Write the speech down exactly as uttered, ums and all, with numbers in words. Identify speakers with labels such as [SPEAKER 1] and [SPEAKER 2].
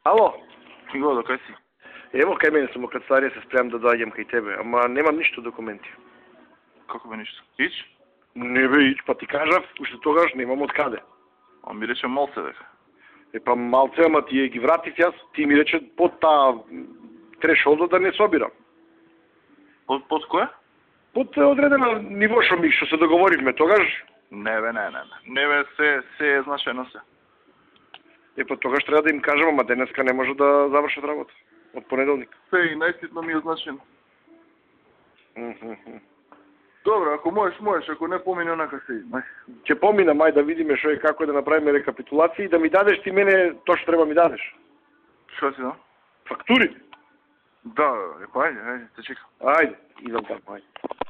[SPEAKER 1] Ало?
[SPEAKER 2] Го, до кај си?
[SPEAKER 1] Ево кај мене сум, кад старија се спремам да доаѓам кај тебе, ама немам ништо документи.
[SPEAKER 2] Како бе ништо? Ич?
[SPEAKER 1] Не бе, ич, па ти кажав, уште тогаш немам од каде.
[SPEAKER 2] А ми рече малце дека.
[SPEAKER 1] Е па малце, ама ти ги вратив јас, ти ми рече под таа трешолдо да не собирам.
[SPEAKER 2] Под, под која?
[SPEAKER 1] Под одредено ниво што ми што се договоривме тогаш.
[SPEAKER 2] Не бе, не, не, не. Не бе, се, се е значено се.
[SPEAKER 1] Е па тогаш треба да им кажам, ама денеска не може да завршат работа. Од понеделник.
[SPEAKER 2] Се и најситно ми е значено.
[SPEAKER 1] Mm -hmm.
[SPEAKER 2] Добро, ако можеш, можеш, ако не помине онака се иди.
[SPEAKER 1] Ќе поминам, ај да видиме што е, како е да направиме рекапитулација и да ми дадеш ти мене тоа што треба ми дадеш.
[SPEAKER 2] Што си, да?
[SPEAKER 1] Фактури?
[SPEAKER 2] Да, е па ајде, ајде, те чекам.
[SPEAKER 1] Ајде, идам таму, ајде.